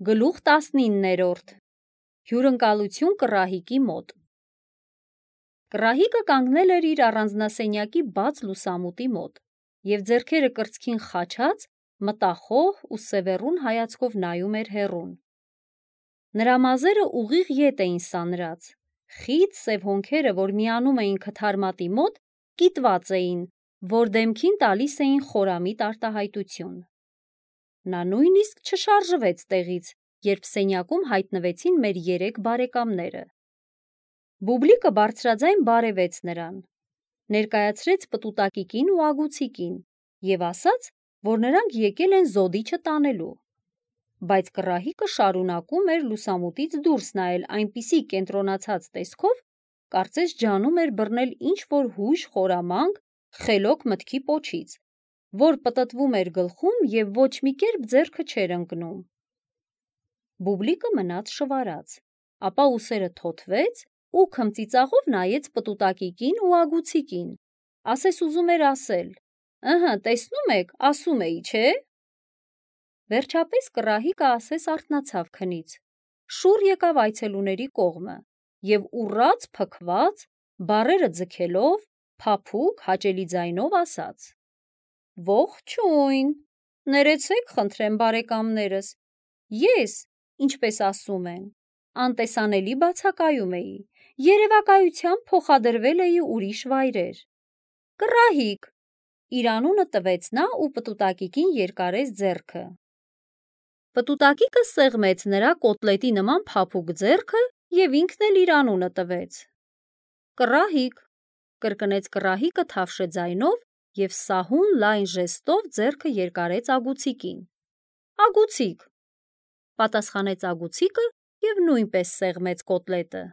Գլուխ 19-րդ Հյուրընկալություն կռահիկի մոտ Կռահիկը կանգնել էր իր առանձնասենյակի բաց լուսամուտի մոտ և ձեռքերը կրծքին խաչած մտախոհ ու սևեռուն հայացքով նայում էր հեռուն։ Նրա մազերը ուղիղ ետ էին սանրած, խիտ սև հոնքերը, որ միանում էին քթարմատի մոտ, կիտված էին, որ դեմքին տալիս էին խորամիտ արտահայտություն։ Նա նույնիսկ չշարժվեց տեղից, երբ սենյակում հայտնվեցին մեր 3 բարեկամները։ Բուբլիկը բարձրաձայն բարևեց նրան, ներկայացրեց պտուտակիկին ու ագուցիկին և ասաց, որ նրանք եկել են զոդիչը տանելու։ Բայց կռահիկը շարունակում էր լուսամուտից դուրս նայել այնպիսի կենտրոնացած տեսքով, կարծես ջանում էր բռնել ինչ-որ հույժ խորամանկ, խելոք մտքի պոչից, որ պտտվում էր գլխում և ոչ մի կերպ ձեռքը չէր ընկնում։ Բուբլիկը մնաց շվարած, ապա ուսերը թոթվեց ու քմծիծաղով նայեց պտուտակիկին ու ագուցիկին, ասես ուզում էր ասել. «Ըհը, տեսնում եք, ասում էի, չէ»։ Վերջապես կռահիկը ասես արթնացավ քնից, շուռ եկավ այցելուների կողմը և ուռած փքված, բառերը ձգելով, փափուկ, հաճելի ձայնով ասաց. «Ողջույն, ներեցեք խնդրեմ բարեկամներս, ես, ինչպես ասում են, անտեսանելի բացակայում էի, երևակայությամբ փոխադրվել էի ուրիշ վայրեր։ Կռահիկ», իր անունը տվեց նա ու պտուտակիկին երկարեց ձեռքը։ Պտուտակիկը սեղմեց նրա կոտլետի նման փափուկ ձեռքը և ինքն էլ իր անունը տվեց։ «Կռահիկ», կրկնեց կռահիկը թավշե ձայնով և սահուն լայն ժեստով ձեռքը երկարեց ագուցիկին։ «Ագուցիկ», պատասխանեց ագուցիկը և նույնպես սեղմեց կոտլետը։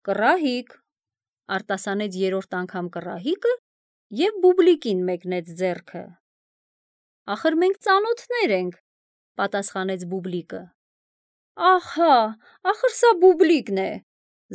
«Կռահիկ», արտասանեց 3-րդ անգամ կռահիկը և Բուբլիկին մեկնեց ձեռքը։ «Ախր մենք ծանոթներ ենք», պատասխանեց Բուբլիկը։ «Ահա, ախր սա Բուբլիկն է»,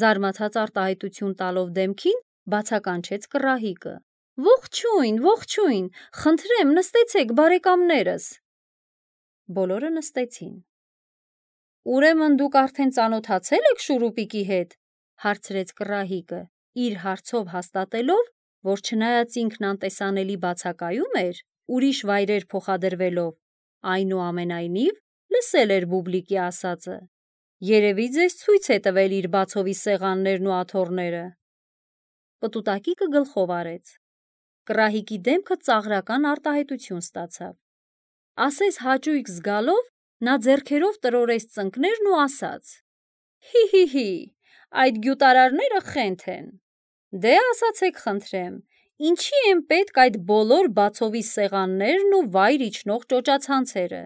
զարմացած արտահայտություն տալով դեմքին, բացականչեց կռահիկը։ «Ողջույն, ողջույն, խնդրեմ նստեցեք բարեկամներս»։ Բոլորը նստեցին։ «Ուրեմն դուք արդեն ծանոթացել եք Շուրուպիկի հետ», հարցրեց կռահիկը, իր հարցով հաստատելով, որ չնայած ինքն անտեսանելի բացակայում էր, ուրիշ վայրեր փոխադրվելով, այնուամենայնիվ լսել էր Բուբլիկի ասածը։ Երևի ձեզ ցույց է տվել իր բացովի սեղաններն ու աթոռները։ Պտուտակիկը գլխով արեց։ Կռահիկի դեմքը ծաղրական արտահայտություն ստացավ։ Ասես հաճույք զգալով, նա ձեռքերով տրորեց ծնկներն ու ասաց. «Հի, այդ գյուտարարները խենթ են։ Դե ասացեք խնդրեմ, ինչի են պետք այդ բոլոր բացովի սեղաններն ու վայր իջնող ճոճացանցերը։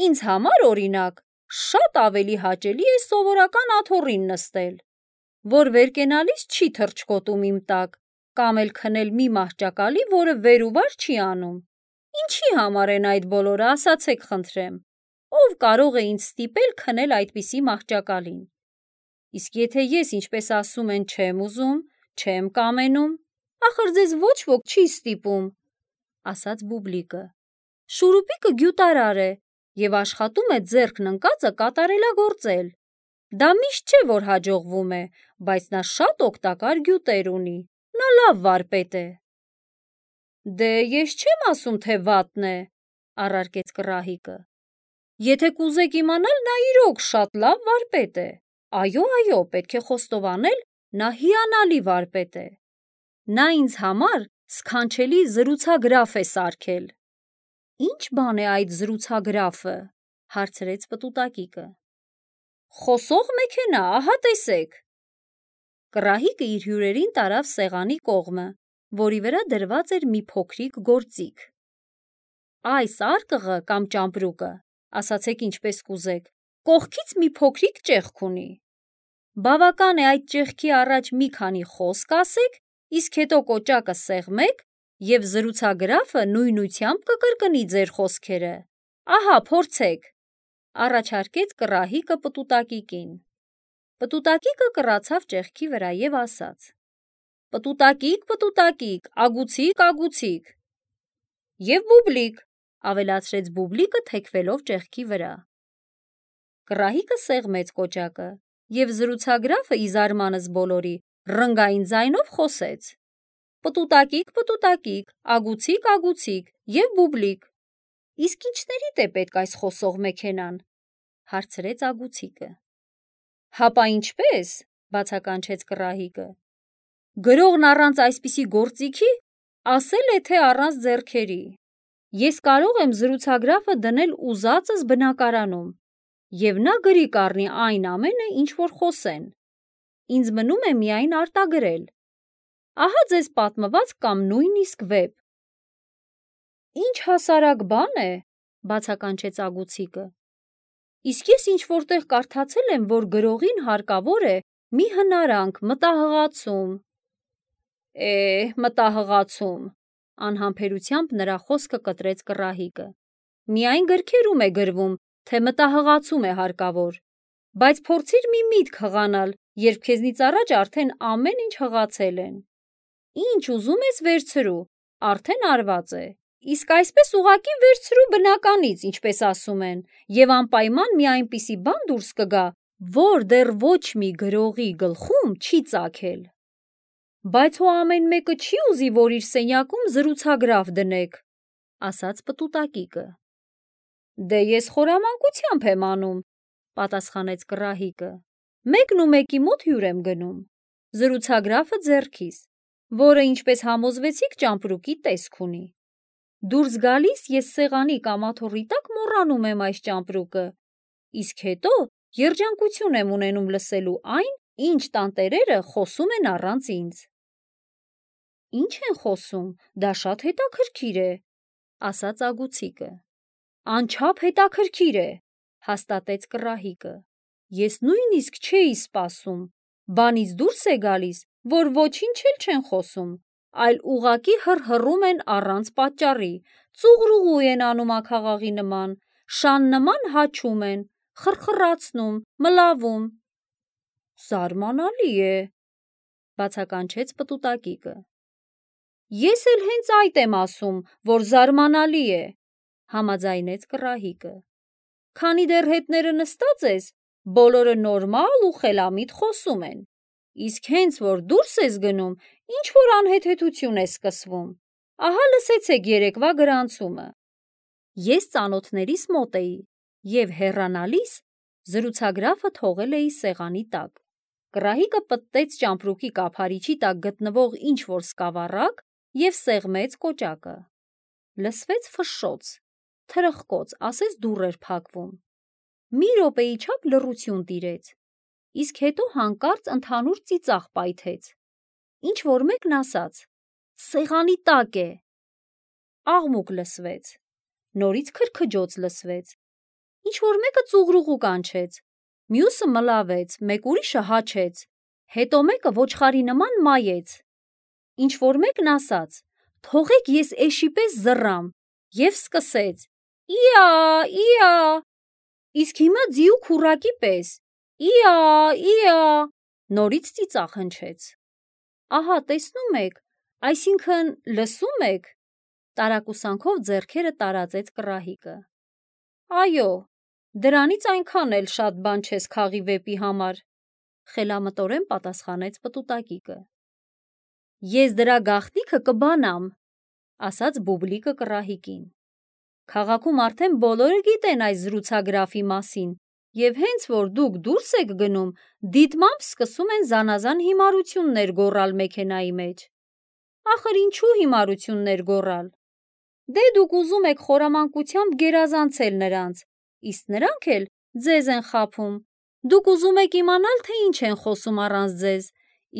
Ինձ համար, օրինակ, շատ ավելի հաճելի է սովորական աթոռին նստել, որ վեր կենալիս չի թռչկոտում իմ տակ, կամ էլ քնել մի մահճակալի, որը վեր ու վար չի անում։ Ինչի համար են այդ բոլորը, ասացեք խնդրեմ, ով կարող է ինձ ստիպել քնել այդպիսի մահճակալին։ Իսկ եթե ես, ինչպես ասում են, չեմ ուզում, չեմ կամենում, ախր ձեզ ոչ ոք չի ստիպում», ասաց Բուբլիկը։ «Շուրուպիկը գյուտարար է և աշխատում է ձեռքն ընկածը կատարելագործել։ Դա միշտ չէ, որ հաջողվում է, բայց նա շատ օգտակար գյուտեր ունի, նա լավ վարպետ է»։ «Դե ես չեմ ասում, թե վատն է», առարկեց կռահիկը։ «Եթե կուզեք իմանալ, նա իրոք շատ լավ վարպետ է։ Այո, պետք է խոստովանել, նա հիանալի վարպետ է։ Նա ինձ համար սքանչելի զրուցագրաֆ է սարքել»։ «Ի՞նչ բան է այդ զրուցագրաֆը», հարցրեց պտուտակիկը։ «Խոսող մեքենա, ահա տեսեք»։ Կռահիկը իր հյուրերին տարավ սեղանի կողմը, որի վրա դրված էր մի փոքրիկ գործիք։ «Այս արկղը կամ ճամպրուկը, ասացեք ինչպես կուզեք, կողքից մի փոքրիկ ճեղք ունի։ Բավական է այդ ճեղքի առաջ մի քանի խոսք ասեք, իսկ հետո կոճակը սեղմեք, և զրուցագրաֆը նույնությամբ կկրկնի ձեր խոսքերը։ Ահա, փորձեք», առաջարկեց կռահիկը պտուտակիկին։ Պտուտակիկը կռացավ ճեղքի վրա և ասաց. «Պտուտակիկ, ագուցիկ»։ «Եվ Բուբլիկ», ավելացրեց Բուբլիկը թեքվելով ճեղքի վրա։ Կռահիկը սեղմեց կոճակը և զրուցագրաֆը ի զարմանս բոլորի ռնգային ձայնով խոսեց. «Պտուտակիկ, պտուտակիկ, ագուցիկ, ագուցիկ և բուբլիկ»։ «Իսկ ինչներիդ է պետք այս խոսող մեքենան», հարցրեց ագուցիկը։ «Հապա ինչպես», բացականչեց կռահիկը։ «Գրողն առանց այսպիսի գործիքի ասել է, թե առանց ձեռքերի։ Ես կարող եմ զրուցագրաֆը դնել ուզածս բնակարանում, և նա գրի կառնի այն ամենը, ինչ որ խոսեն։ Ինձ մնում է միայն արտագրել։ Ահա ձեզ պատմված կամ նույնիսկ վեպ»։ «Ինչ հասարակ բան է», բացականչեց ագուցիկը։ «Իսկ ես ինչ-որտեղ կարդացել եմ, որ գրողին հարկավոր է մի հնարանք, մտահղացում»։ Մտահղացում, անհամբերությամբ նրա խոսքը կտրեց կռահիկը։ «Միայն գրքերում է գրվում, թե մտահղացում է հարկավոր, բայց փորձիր մի միտք հղանալ, երբ քեզնից առաջ արդեն ամեն ինչ հղացել են։ Ինչ ուզում ես վերցրու, արդեն արված է։ Իսկ այսպես ուղղակի վերցրու բնականից, ինչպես ասում են, և անպայման մի այնպիսի բան դուրս կգա, որ դեռ ոչ մի գրողի գլխում չի ծագել»։ «Բայց հո ամեն մեկը չի ուզի, որ իր սենյակում զրուցագրավ դնեք», ասաց պտուտակիկը։ «Դե ես խորամանկությամբ եմ անում», պատասխանեց կռահիկը։ «Մեկն ու մեկի մոտ հյուր եմ գնում, զրուցագրաֆը ձեռքիս, որը, ինչպես համոզվեցիք, ճամպրուկի տեսք ունի։ Դուրս գալիս ես սեղանի կամաթոռի տակ մոռանում եմ այս ճամպրուկը, իսկ հետո երջանկություն եմ ունենում լսելու այն, ինչ տանտերերը խոսում են առանց ինձ»։ «Ինչ են խոսում, դա շատ հետաքրքիր է», ասաց ագուցիկը։ «Անչափ հետաքրքիր է», հաստատեց կռահիկը։ «Ես նույնիսկ չէի սպասում, բանից դուրս է գալիս, որ ոչինչ էլ չեն խոսում, այլ ուղղակի հռհռում են առանց պատճառի, ծուղռուղու են անում աքաղաղի նման, շան նման հաչում են, խռխռացնում, մլավում»։ «Զարմանալի է», բացականչեց պտուտակիկը։ «Ես էլ հենց այդ եմ ասում, որ զարմանալի է», համաձայնեց կռահիկը։ «Քանի դեռ հետները նստած ես, բոլորը նորմալ ու խելամիտ խոսում են, իսկ հենց որ դուրս ես գնում, ինչ-որ անհեթեթություն է սկսվում։ Ահա լսեցեք երեկվա գրանցումը»։ Ես ծանոթներիս մոտ էի և հեռանալիս զրուցագրաֆը թողել էի սեղանի տակ։ Կռահիկը պտտեց ճամպրուկի կափարիչի տակ գտնվող ինչ-որ սկավառակ և սեղմեց կոճակը։ Լսվեց ֆշշոց, թրխկոց, ասես դուռ էր փակվում։ Մի րոպեի չափ լռություն տիրեց, իսկ հետո հանկարծ ընդհանուր ծիծաղ պայթեց։ Ինչ-որ մեկն ասաց. «Սեղանի տակ է»։ Աղմուկ լսվեց, նորից քրքջոց լսվեց։ Ինչ-որ մեկը ծուղռուղու կանչեց, մյուսը մլավեց, մեկ ուրիշը հաչեց, հետո մեկը ոչխարի նման մայեց։ Ինչ-որ մեկն ասաց. «Թողեք ես էշի պես զռամ» և սկսեց. «Իա, իա», իսկ հիմա ձիու քուռակի պես. «Իա, իա», նորից ծիծաղ հնչեց։ «Ահա տեսնում եք, այսինքն լսում եք», տարակուսանքով ձեռքերը տարածեց կռահիկը։ «Այո, դրանից այնքան էլ շատ բան չես քաղի վեպի համար», խելամտորեն պատասխանեց պտուտակիկը։ «Ես դրա գաղտնիքը կբանամ», ասաց բուբլիկը կռահիկին։ «Քաղաքում արդեն բոլորը գիտեն այս զրուցագրաֆի մասին, և հենց որ դուք դուրս եք գնում, դիտմամբ սկսում են զանազան հիմարություններ գոռալ մեքենայի մեջ։ Ախր ինչու հիմարություններ գոռալ։ Դե դուք ուզում եք խորամանկությամբ գերազանցել նրանց, իսկ նրանք էլ ձեզ են խաբում։ Դուք ուզում եք իմանալ, թե ինչ են խոսում առանց ձեզ,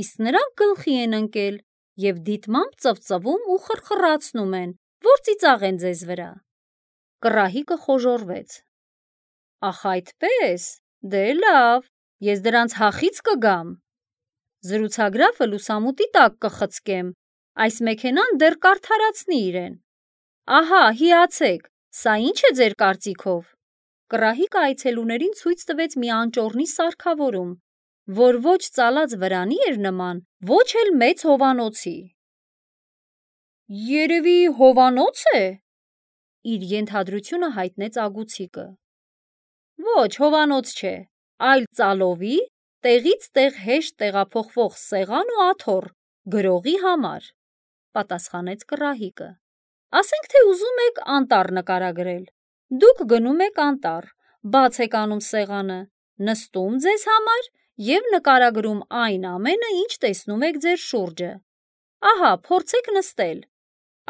իսկ նրանք գլխի են ընկել և դիտմամբ ծվծվում ու խռխռացնում են, որ ծիծաղեն ձեզ վրա»։ Կռահիկը խոժոռվեց։ «Ախ այդպե՞ս, դե լավ, ես դրանց հախից կգամ։ Զրուցագրաֆը լուսամուտի տակ կխցկեմ, այս մեքենան դեռ կարդարացնի իրեն։ Ահա, հիացեք, սա ի՞նչ է ձեր կարծիքով»։ Կռահիկը այցելուներին ցույց տվեց մի անճոռնի սարքավորում, որ ոչ ծալած վրանի էր նման, ոչ էլ մեծ հովանոցի։ «Երևի հովանո՞ց է», իր ենթադրությունը հայտնեց ագուցիկը։ Ոչ, հովանոց չէ, այլ ծալովի, տեղից տեղ հեշտ տեղափոխվող սեղան ու աթոռ, գրողի համար, պատասխանեց կռահիկը։ Ասենք թե ուզում եք անտառ նկարագրել։ Դուք գնում եք անտառ, բաց եք անում սեղանը, նստում ձեզ համար և նկարագրում այն ամենը, ինչ տեսնում եք ձեր շուրջը։ Ահա, փորձեք նստել,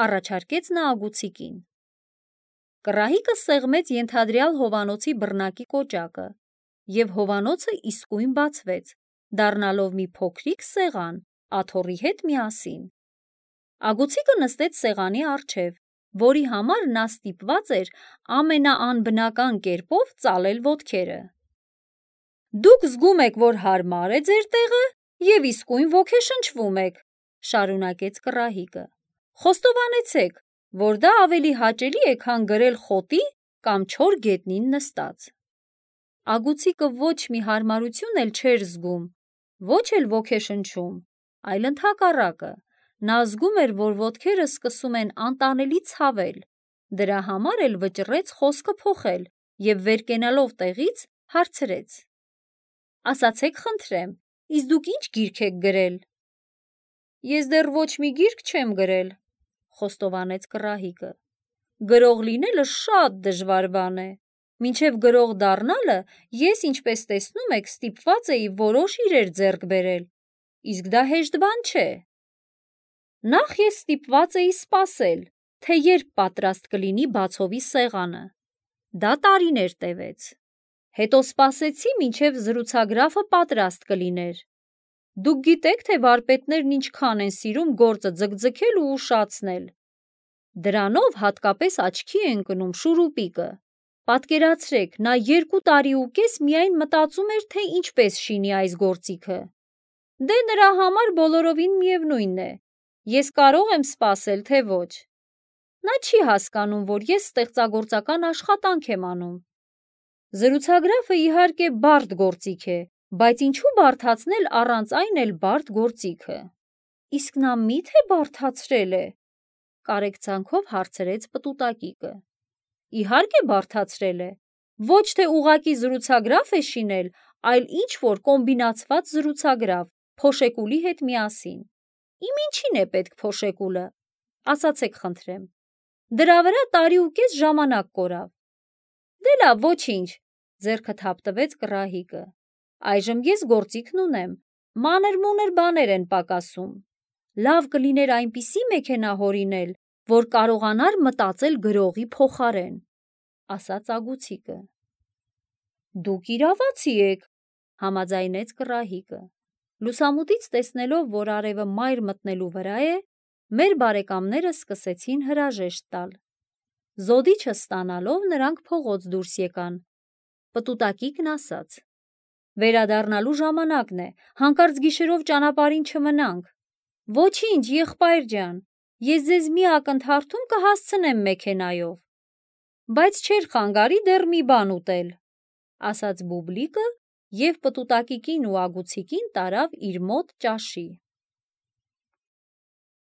առաջարկեց նա ագուցիկին։ Կռահիկը սեղմեց ենթադրյալ հովանոցի բռնակի կոճակը, և հովանոցը իսկույն բացվեց, դառնալով մի փոքրիկ սեղան աթոռի հետ միասին։ Ագուցիկը նստեց սեղանի առջև, որի համար նա ստիպված էր ամենաանբնական կերպով ծալել ոտքերը։ Դուք զգում եք, որ հարմար է ձեր տեղը և իսկույն ոգեշնչվում եք, շարունակեց կռահիկը։ Խոստովանեցեք, որ դա ավելի հաճելի է, քան գրել խոտի կամ չոր գետնին նստած։ Ագուցիկը ոչ մի հարմարություն էլ չէր զգում, ոչ էլ ոգեշնչում, այլ ընդհակառակը, նա զգում էր, որ ոտքերը սկսում են անտանելի ցավել, դրա համար էլ վճռեց խոսքը փոխել և վեր կենալով տեղից հարցրեց. Ասացեք խնդրեմ, իսկ դուք ինչ գիրք եք գրել։ Ես դեռ ոչ մի գիրք չեմ գրել, խոստովանեց կռահիկը։ Գրող լինելը շատ դժվար բան է։ Մինչև գրող դառնալը ես, ինչպես տեսնում եք, ստիպված էի որոշ իրեր ձեռք բերել, իսկ դա հեշտ բան չէ։ Նախ ես ստիպված էի սպասել, թե երբ պատրաստ կլինի բացովի սեղանը։ Դա տարիներ տևեց։ Հետո սպասեցի, մինչև զրուցագրաֆը պատրաստ կլիներ։ Դուք գիտեք, թե վարպետներն ինչքան են սիրում գործը ձգձգել ու ուշացնել։ Դրանով հատկապես աչքի է ընկնում շուրուպիկը։ Պատկերացրեք, նա 2 տարի ու կես միայն մտածում էր, թե ինչպես շինի այս գործիքը։ Դե նրա համար բոլորովին միևնույն է, ես կարող եմ սպասել, թե ոչ։ Նա չի հասկանում, որ ես ստեղծագործական աշխատանք եմ անում։ Զրուցագրաֆը իհարկե բարդ գործիք է, բայց ինչու բարդացնել առանց այն էլ բարդ գործիքը։ Իսկ նա մի՞թե բարդացրել է, կարեկցանքով հարցրեց պտուտակիկը։ Իհարկե բարդացրել է, ոչ թե ուղղակի զրուցագրաֆ է շինել, այլ ինչ-որ կոմբինացված զրուցագրավ, փոշեկուլի հետ միասին։ Իմ ինչին է պետք փոշեկուլը, ասացեք խնդրեմ։ Դրա վրա տարի ու կես ժամանակ կորավ։ Դե լավ, ոչինչ, ձեռքը թափտվեց կռահիկը։ Այժմ ես գործիքն ունեմ, մանր-մունր բաներ են պակասում։ Լավ կլիներ այնպիսի մեքենա հորինել, որ կարողանար մտածել գրողի փոխարեն, ասաց ագուցիկը։ Դուք իրավացի եք, համաձայնեց կռահիկը։ Լուսամուտից տեսնելով, որ արևը մայր մտնելու վրա է, մեր բարեկամները սկսեցին հրաժեշտ տալ։ Զոդիչը ստանալով նրանք փողոց դուրս եկան։ Պտուտակիկն ասաց. Վերադառնալու ժամանակն է, հանկարծ գիշերով ճանապարհին չմնանք։ Ոչինչ, եղբայր ջան, ես ձեզ մի ակնթարթում կհասցնեմ մեքենայով։ Բայց չէր խանգարի դեռ մի բան ուտել, ասաց Բուբլիկը և պտուտակիկին ու ագուցիկին տարավ իր մոտ ճաշի։